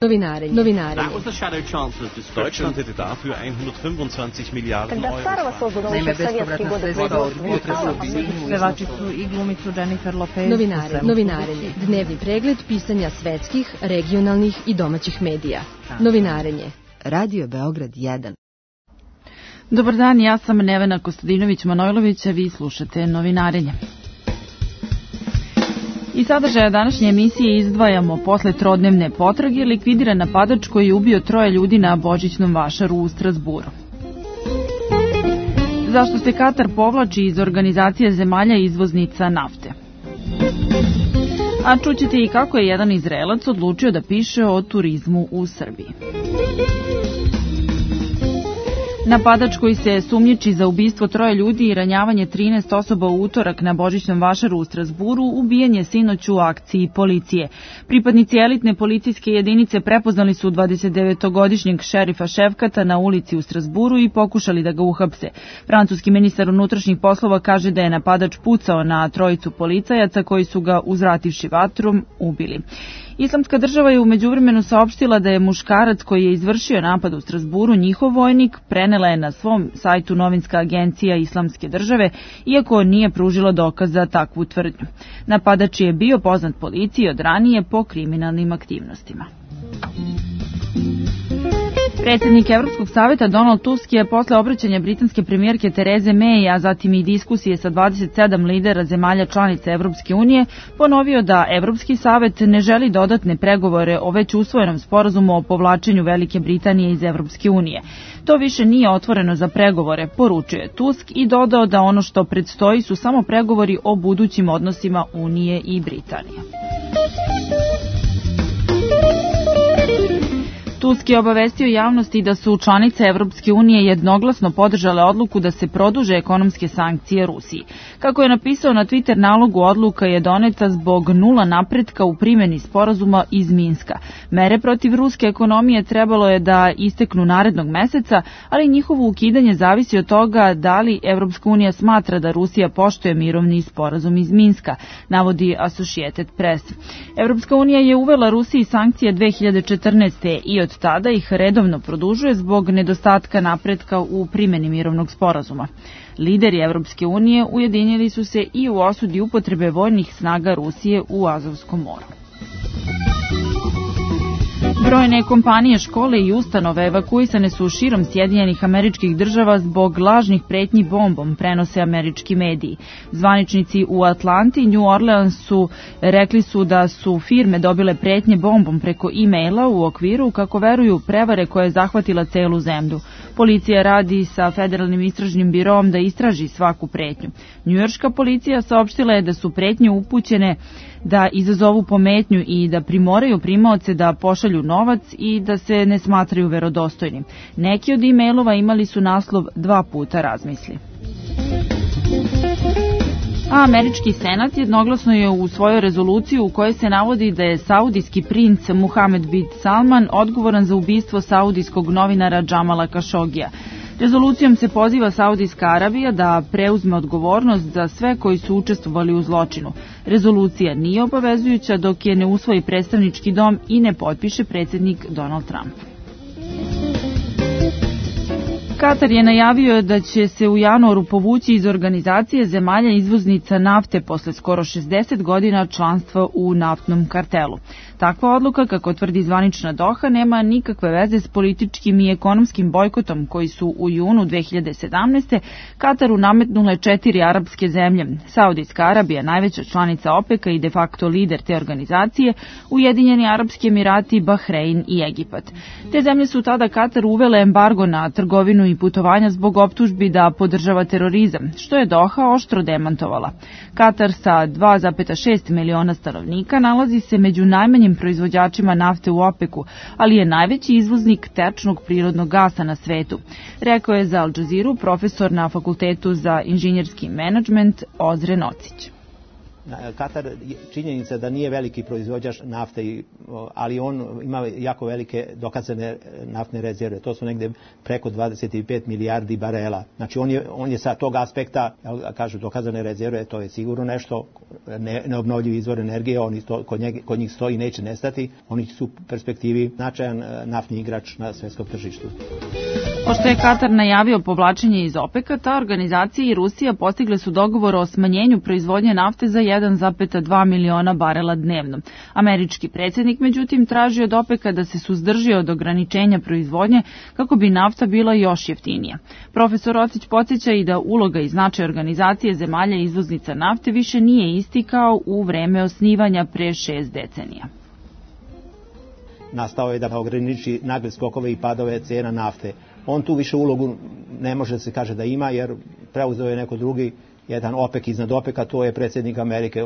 Novinarenje. Deutschland hätte dafür 125 Milliarden Euro. Naime, bespovratna sredstva od budžeta pevačicu i glumicu Jennifer Lopez. Novinarenje. Dnevni pregled pisanja svetskih, regionalnih i domaćih medija. Novinarenje. Radio Beograd 1. Dobar dan, ja sam Nevena Kostadinović-Manojlović, a vi slušate Novinarenje. I sadržaja današnje emisije izdvajamo posle trodnevne potrage likvidiran napadač koji je ubio 3 ljudi na božićnom vašaru u Strazburu. Zašto se Katar povlači iz organizacije zemalja izvoznica nafte? A čućete i kako je jedan Izraelac odlučio da piše o turizmu u Srbiji. Napadač koji se sumnjiči za ubistvo 3 ljudi i ranjavanje 13 osoba u utorak na božićnom vašaru u Strazburu ubijen je sinoć u akciji policije. Pripadnici elitne policijske jedinice prepoznali su 29-godišnjeg šerifa Šefkata na ulici u Strazburu i pokušali da ga uhapse. Francuski ministar unutrašnjih poslova kaže da je napadač pucao na 3 policajaca koji su ga uzvrativši vatrom ubili. Islamska država je u međuvremenu saopštila da je muškarac koji je izvršio napad u Strazburu njihov vojnik, prenela je na svom sajtu novinska agencija Islamske države, iako nije pružila dokaz za takvu tvrdnju. Napadač je bio poznat policiji od ranije po kriminalnim aktivnostima. Predsjednik Evropskog saveta Donald Tusk je posle obraćanja britanske premijerke Tereze May, a zatim i diskusije sa 27 lidera zemalja članica Evropske unije, ponovio da Evropski savet ne želi dodatne pregovore o već usvojenom sporazumu o povlačenju Velike Britanije iz Evropske unije. To više nije otvoreno za pregovore, poručuje Tusk i dodao da ono što predstoji su samo pregovori o budućim odnosima Unije i Britanije. Tusk je obavestio javnosti da su članice Evropske unije jednoglasno podržale odluku da se produže ekonomske sankcije Rusiji. Kako je napisao na Twitter nalogu, odluka je doneta zbog nula napretka u primjeni sporazuma iz Minska. Mere protiv ruske ekonomije trebalo je da isteknu narednog meseca, ali njihovo ukidanje zavisi od toga da li Evropska unija smatra da Rusija poštuje mirovni sporazum iz Minska, navodi Associated Press. Evropska unija je uvela Rusiji sankcije 2014. i od tada ih redovno produžuje zbog nedostatka napretka u primjeni mirovnog sporazuma. Lideri Evropske unije ujedinili su se i u osudi upotrebe vojnih snaga Rusije u Azovskom moru. Brojne kompanije, škole i ustanove evakuisane su širom Sjedinjenih Američkih Država zbog lažnih pretnji bombom, prenose američki mediji. Zvaničnici u Atlanti i New Orleansu rekli su da su firme dobile pretnje bombom preko e-maila u okviru, kako veruju, prevare koja je zahvatila celu zemlju. Policija radi sa Federalnim istražnim biroom da istraži svaku pretnju. Njujorška policija saopštila je da su pretnje upućene da izazovu pometnju i da primoraju primaoce da pošalju novac i da se ne smatraju verodostojnim. Neki od e-mailova imali su naslov 2 puta razmisli. A američki senat jednoglasno je usvojio rezoluciju u kojoj se navodi da je saudijski princ Muhamed bin Salman odgovoran za ubistvo saudijskog novinara Džamala Kašogija. Rezolucijom se poziva Saudijska Arabija da preuzme odgovornost za sve koji su učestvovali u zločinu. Rezolucija nije obavezujuća dok je ne usvoji predstavnički dom i ne potpiše predsjednik Donald Trump. Katar je najavio da će se u januaru povući iz organizacije zemalja izvoznica nafte posle skoro 60 godina članstva u naftnom kartelu. Takva odluka, kako tvrdi zvanična Doha, nema nikakve veze s političkim i ekonomskim bojkotom koji su u junu 2017. Kataru nametnule 4 arapske zemlje. Saudijska Arabija, najveća članica OPEC-a i de facto lider te organizacije, Ujedinjeni Arapski Emirati, Bahrein i Egipat. Te zemlje su tada Kataru uvele embargo na trgovinu i putovanja zbog optužbi da podržava terorizam, što je Doha oštro demantovala. Katar sa 2,6 miliona stanovnika nalazi se među najmanjim proizvođačima nafte u OPEC-u, ali je najveći izvoznik tečnog prirodnog gasa na svetu, rekao je za Al Jazeeru profesor na Fakultetu za inženjerski menadžment Ozren Ocić. Katar, činjenica da nije veliki proizvođač nafte, ali on ima jako velike dokazane naftne rezerve. To su negde preko 25 milijardi barela. Znači on je sa tog aspekta, kažu dokazane rezerve, to je sigurno nešto, neobnovljivi izvor energije, oni to, kod njih stoji i neće nestati. Oni su u perspektivi značajan naftni igrač na svetskom tržištu. Pošto je Katar najavio povlačenje iz OPEC-a, ta organizacija i Rusija postigle su dogovor o smanjenju proizvodnje nafte za 1,2 miliona barela dnevno. Američki predsjednik, međutim, traži od OPEC-a da se suzdrži od ograničenja proizvodnje kako bi nafta bila još jeftinija. Profesor Rocić podsjeća i da uloga i značaj organizacije zemalja izvoznica nafte više nije isti kao u vreme osnivanja pre 6 decenija. Nastao je da ograniči nagle skokove i padove cena nafte. On tu više ulogu ne može da se kaže da ima, jer preuzeo je neko drugi, jedan OPEC iznad OPEC-a, to je predsjednik Amerike.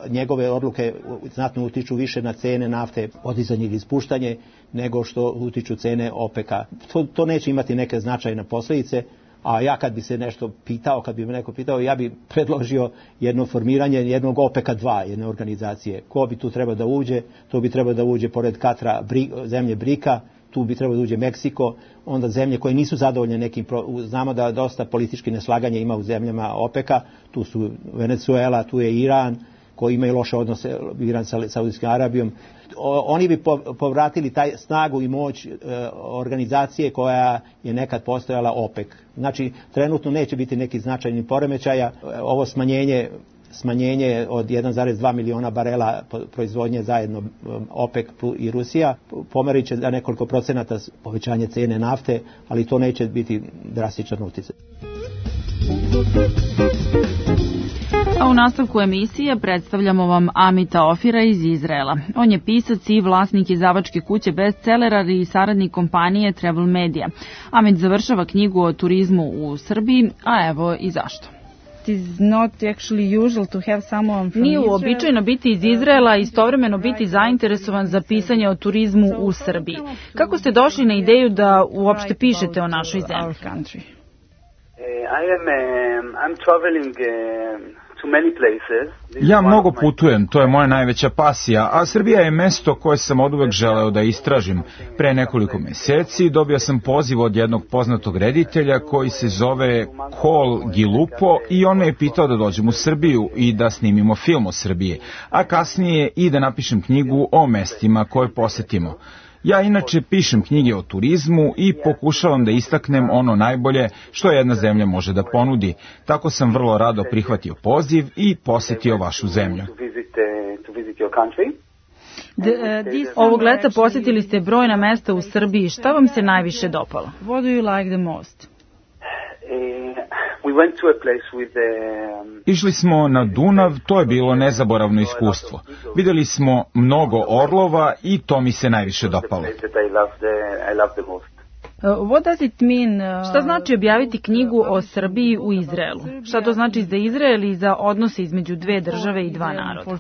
Njegove odluke znatno utiču više na cene nafte, podizanje ili ispuštanje, nego što utiču cene OPEC-a. To neće imati neke značajne posljedice, a ja kad bi se nešto pitao, kad bi me neko pitao, ja bi predložio jedno formiranje jednog OPEC-a 2, jedne organizacije. Ko bi tu trebao da uđe? To bi trebao da uđe pored Katara zemlje BRIC-a, tu bi trebalo da uđe Meksiko, onda zemlje koje nisu zadovoljne nekim, znamo da dosta politički neslaganja ima u zemljama OPEC-a, tu su Venezuela, tu je Iran, koji imaju loše odnose, Iran sa Saudijskom Arabijom. Oni bi povratili taj snagu i moć organizacije koja je nekad postojala OPEC. Znači, trenutno neće biti neki značajni poremećaja. Ovo smanjenje od 1,2 miliona barela proizvodnje zajedno OPEC i Rusija pomerit će za nekoliko procenata povećanje cene nafte, ali to neće biti drastičan utjecaj. A u nastavku emisije predstavljamo vam Amita Ofira iz Izraela. On je pisac i vlasnik izdavačke kuće bestsellera i saradnik kompanije Travel Media. Amit završava knjigu o turizmu u Srbiji, a evo i zašto. Nije uobičajeno biti iz Izraela i istovremeno biti zainteresovan za pisanje o turizmu u Srbiji. Kako ste došli na ideju da uopšte pišete o našoj zemlji? Ja mnogo putujem, to je moja najveća pasija, a Srbija je mesto koje sam oduvek želeo da istražim. Pre nekoliko meseci dobio sam poziv od jednog poznatog reditelja koji se zove Kol Gilupo i on me je pitao da dođem u Srbiju i da snimimo film o Srbiji, a kasnije i da napišem knjigu o mestima koje posetimo. Ja inače pišem knjige o turizmu i pokušavam da istaknem ono najbolje što jedna zemlja može da ponudi. Tako sam vrlo rado prihvatio poziv i posetio vašu zemlju. Ovog leta posjetili ste brojna mesta u Srbiji. Šta vam se najviše dopalo? What do you like the most? Išli smo na Dunav, to je bilo nezaboravno iskustvo. Vidjeli smo mnogo orlova i to mi se najviše dopalo. Šta znači objaviti knjigu o Srbiji u Izraelu? Šta to znači za Izrael i za odnose između dve države i dva naroda?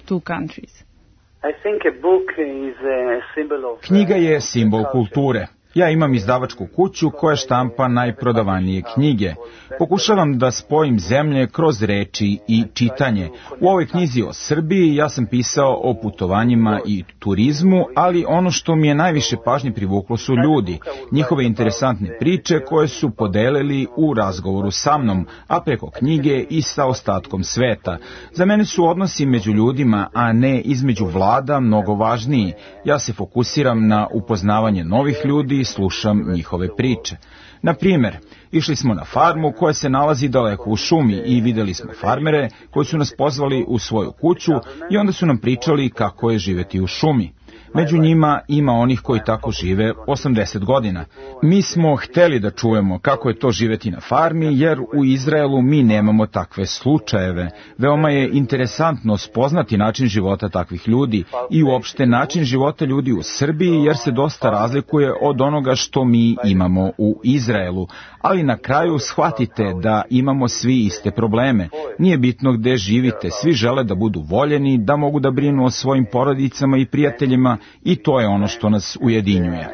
Knjiga je simbol kulture. Ja imam izdavačku kuću koja štampa najprodavanije knjige. Pokušavam da spojim zemlje kroz reči i čitanje. U ovoj knjizi o Srbiji ja sam pisao o putovanjima i turizmu, ali ono što mi je najviše pažnje privuklo su ljudi, njihove interesantne priče koje su podelili u razgovoru sa mnom, a preko knjige i sa ostatkom sveta. Za mene su odnosi među ljudima, a ne između vlada, mnogo važniji. Ja se fokusiram na upoznavanje novih ljudi i slušam njihove priče. Na primjer, išli smo na farmu koja se nalazi daleko u šumi i vidjeli smo farmere koji su nas pozvali u svoju kuću i onda su nam pričali kako je živjeti u šumi. Među njima ima onih koji tako žive 80 godina. Mi smo hteli da čujemo kako je to živjeti na farmi, jer u Izraelu mi nemamo takve slučajeve. Veoma je interesantno spoznati način života takvih ljudi i uopšte način života ljudi u Srbiji, jer se dosta razlikuje od onoga što mi imamo u Izraelu. Ali na kraju shvatite da imamo svi iste probleme. Nije bitno gde živite, svi žele da budu voljeni, da mogu da brinu o svojim porodicama i prijateljima, i to je ono što nas ujedinjuje.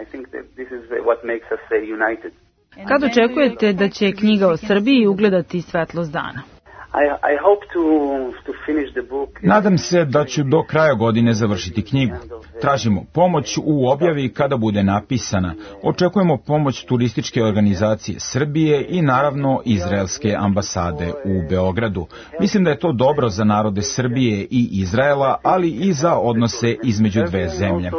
Kad očekujete da će knjiga o Srbiji ugledati svetlost dana? Nadam se da ću do kraja godine završiti knjigu. Tražimo pomoć u objavi kada bude napisana. Očekujemo pomoć turističke organizacije Srbije i naravno izraelske ambasade u Beogradu. Mislim da je to dobro za narode Srbije i Izraela, ali i za odnose između dve zemlje.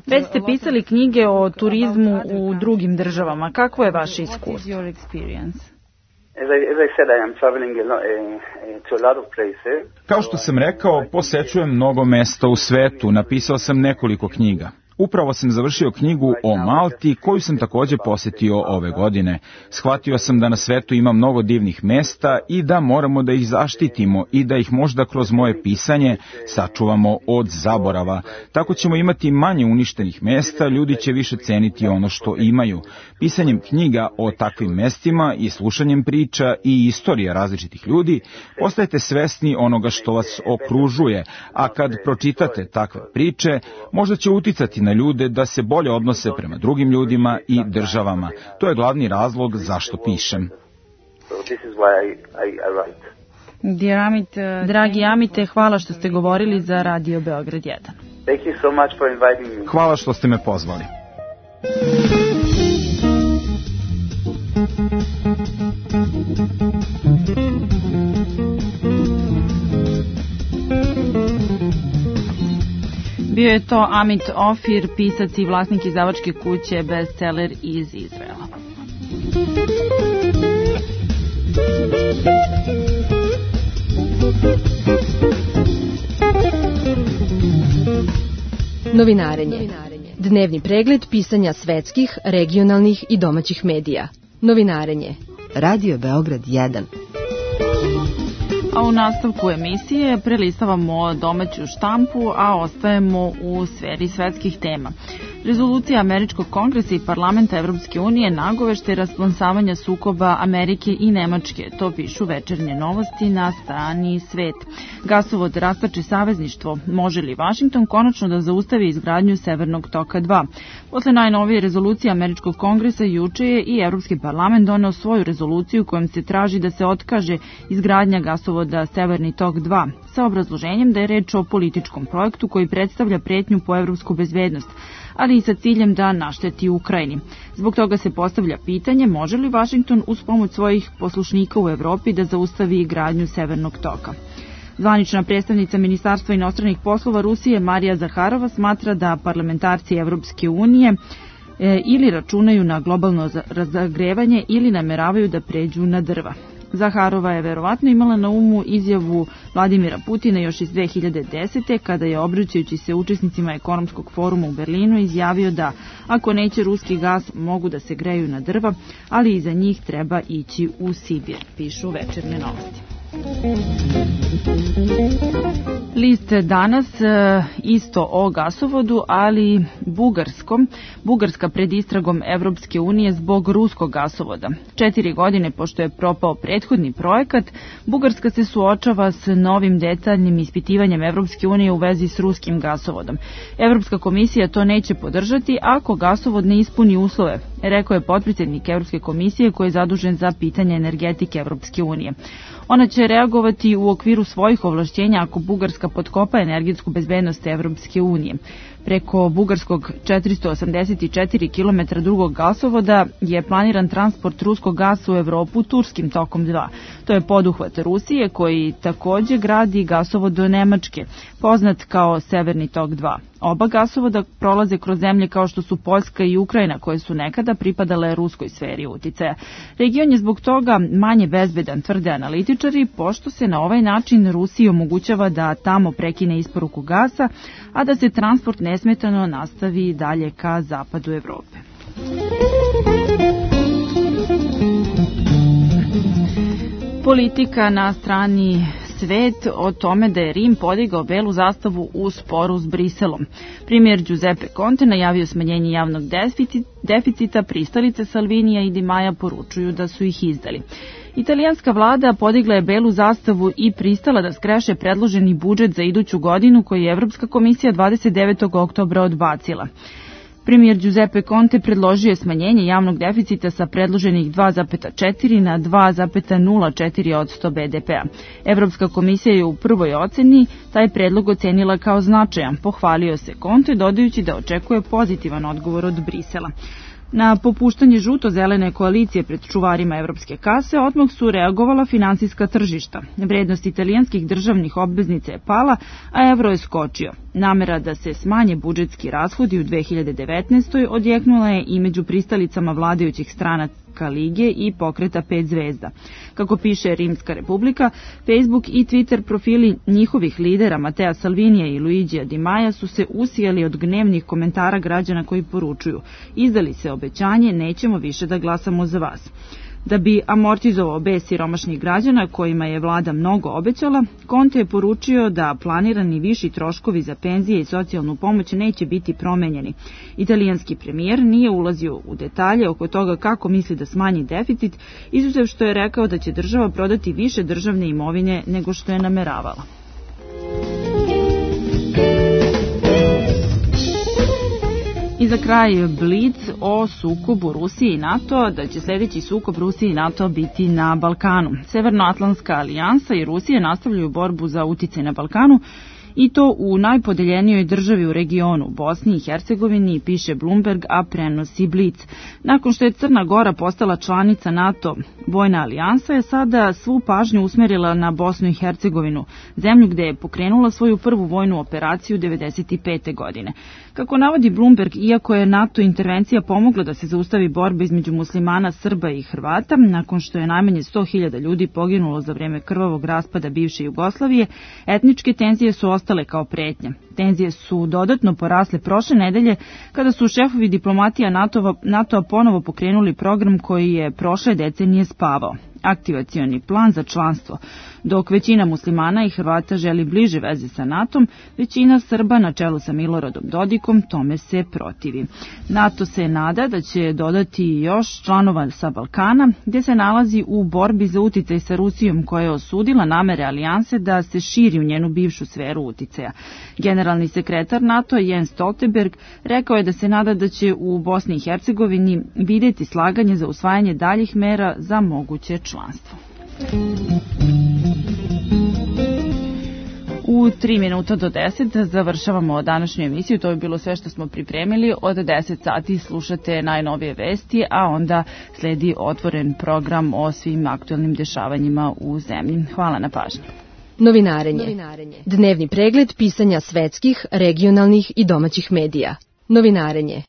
Već ste pisali knjige o turizmu u drugim državama. Kako je vaše iskustvo? Kao što sam rekao, posećujem mnogo mesta u svetu, napisao sam nekoliko knjiga. Upravo sam završio knjigu o Malti, koju sam takođe posetio ove godine. Shvatio sam da na svetu ima mnogo divnih mesta i da moramo da ih zaštitimo i da ih možda kroz moje pisanje sačuvamo od zaborava. Tako ćemo imati manje uništenih mesta, ljudi će više ceniti ono što imaju. Pisanjem knjiga o takvim mestima i slušanjem priča i istorija različitih ljudi, postajete svesni onoga što vas okružuje, a kad pročitate takve priče, možda će uticati na ljude da se bolje odnose prema drugim ljudima i državama. To je glavni razlog zašto pišem. Dragi Amite, hvala što ste govorili za Radio Beograd 1. Hvala što ste me pozvali. Bio je to Amit Ofir, pisac i vlasnik izdavačke kuće Bestseller iz Izraela. Novinarenje. Dnevni pregled pisanja svetskih, regionalnih i domaćih medija. Novinarenje. Radio Beograd 1. A u nastavku emisije prelistavamo domaću štampu, a ostajemo u sferi svetskih tema. Rezolucija Američkog kongresa i parlamenta Evropske unije nagovešte rasplamsavanja sukoba Amerike i Nemačke. To pišu Večernje novosti na strani Svet. Gasovod rastače savezništvo. Može li Vašington konačno da zaustavi izgradnju Severnog toka 2? Posle najnovije rezolucije Američkog kongresa juče je i Evropski parlament doneo svoju rezoluciju kojom se traži da se otkaže izgradnja gasovoda Severni tok 2 sa obrazloženjem da je reč o političkom projektu koji predstavlja pretnju po evropsku bezbednost, ali i sa ciljem da našteti Ukrajini. Zbog toga se postavlja pitanje može li Vašington uz pomoć svojih poslušnika u Evropi da zaustavi gradnju Severnog toka. Zvanična predstavnica Ministarstva inostranih poslova Rusije Marija Zaharova smatra da parlamentarci Evropske unije ili računaju na globalno zagrevanje ili nameravaju da pređu na drva. Zaharova je verovatno imala na umu izjavu Vladimira Putina još iz 2010. kada je obraćajući se učesnicima ekonomskog foruma u Berlinu izjavio da ako neće ruski gas mogu da se greju na drva, ali i za njih treba ići u Sibir, pišu Večernje novosti. List danas isto o gasovodu, ali bugarskom. Bugarska pred istragom Evropske unije zbog ruskog gasovoda. 4 godine pošto je propao prethodni projekat, Bugarska se suočava s novim detaljnim ispitivanjem Evropske unije u vezi s ruskim gasovodom. Evropska komisija to neće podržati ako gasovod ne ispuni uslove, rekao je potpredsednik Evropske komisije koji je zadužen za pitanje energetike Evropske unije. Ona će reagovati u okviru svojih ovlašćenja ako Bugarska potkopa energetsku bezbednost Evropske unije. Preko bugarskog 484 km drugog gasovoda je planiran transport ruskog gasa u Evropu turskim tokom 2. To je poduhvat Rusije koji takođe gradi gasovod do Nemačke, poznat kao Severni tok 2. Oba gasovoda prolaze kroz zemlje kao što su Poljska i Ukrajina, koje su nekada pripadale ruskoj sferi uticaja. Region je zbog toga manje bezbedan, tvrde analitičari, pošto se na ovaj način Rusiji omogućava da tamo prekine isporuku gasa, a da se transport nesmetano nastavi dalje ka zapadu Evrope. Politika na strani Svet o tome da je Rim podigao belu zastavu u sporu s Briselom. Premijer Giuseppe Conte najavio smanjenje javnog deficita, pristalice Salvinija i Di Maja poručuju da su ih izdali. Italijanska vlada podigla je belu zastavu i pristala da skreše predloženi budžet za iduću godinu koji je Evropska komisija 29. oktobra odbacila. Premijer Giuseppe Conte predložio je smanjenje javnog deficita sa predloženih 2,4 na 2,04% BDP-a. Evropska komisija je u prvoj oceni taj predlog ocenila kao značajan. Pohvalio se Conte, dodajući da očekuje pozitivan odgovor od Brisela. Na popuštanje žuto-zelene koalicije pred čuvarima evropske kase odmah su reagovala finansijska tržišta. Vrednost italijanskih državnih obveznica je pala, a evro je skočio. Namera da se smanje budžetski rashodi u 2019. odjeknula je i među pristalicama vladajućih stranaka Lige i pokreta 5 zvezda. Kako piše Rimska republika, Facebook i Twitter profili njihovih lidera Matea Salvinija i Luigija Di Maja su se usijali od gnevnih komentara građana koji poručuju: izdali se obećanje, nećemo više da glasamo za vas. Da bi amortizovao bes siromašnih građana kojima je vlada mnogo obećala, Conte je poručio da planirani viši troškovi za penzije i socijalnu pomoć neće biti promenjeni. Italijanski premijer nije ulazio u detalje oko toga kako misli da smanji deficit, izuzev što je rekao da će država prodati više državne imovine nego što je nameravala. I za kraj Blic o sukobu Rusije i NATO, da će sljedeći sukob Rusije i NATO biti na Balkanu. Severnoatlantska alijansa i Rusija nastavljaju borbu za uticaj na Balkanu, i to u najpodeljenijoj državi u regionu, Bosni i Hercegovini, piše Bloomberg, a prenosi Blic. Nakon što je Crna Gora postala članica NATO, vojna alijansa je sada svu pažnju usmerila na Bosnu i Hercegovinu, zemlju gde je pokrenula svoju prvu vojnu operaciju 1995. godine. Kako navodi Bloomberg, iako je NATO intervencija pomogla da se zaustavi borba između muslimana, Srba i Hrvata, nakon što je najmanje 100.000 ljudi poginulo za vreme krvavog raspada bivše Jugoslavije, etničke tenzije su ostale kao pretnja. Tenzije su dodatno porasle prošle nedelje kada su šefovi diplomatija NATO-a ponovo pokrenuli program koji je prošle decenije spavao. Aktivacioni plan za članstvo. Dok većina muslimana i Hrvata želi bliže veze sa NATO-om, većina Srba na čelu sa Miloradom Dodikom tome se protivi. NATO se nada da će dodati još članova sa Balkana, gdje se nalazi u borbi za uticaj sa Rusijom, koja je osudila namere alijanse da se širi u njenu bivšu sferu uticaja. Generalni sekretar NATO Jens Stoltenberg rekao je da se nada da će u Bosni i Hercegovini vidjeti slaganje za usvajanje daljih mera za moguće članstvo. U 3 minuta do 10 završavamo današnju emisiju. To je bilo sve što smo pripremili. Od 10 sati slušate najnovije vesti, a onda sledi otvoren program o svim aktualnim dešavanjima u zemlji. Hvala na pažnji. Novinarenje. Dnevni pregled pisanja svetskih, regionalnih i domaćih medija. Novinarenje.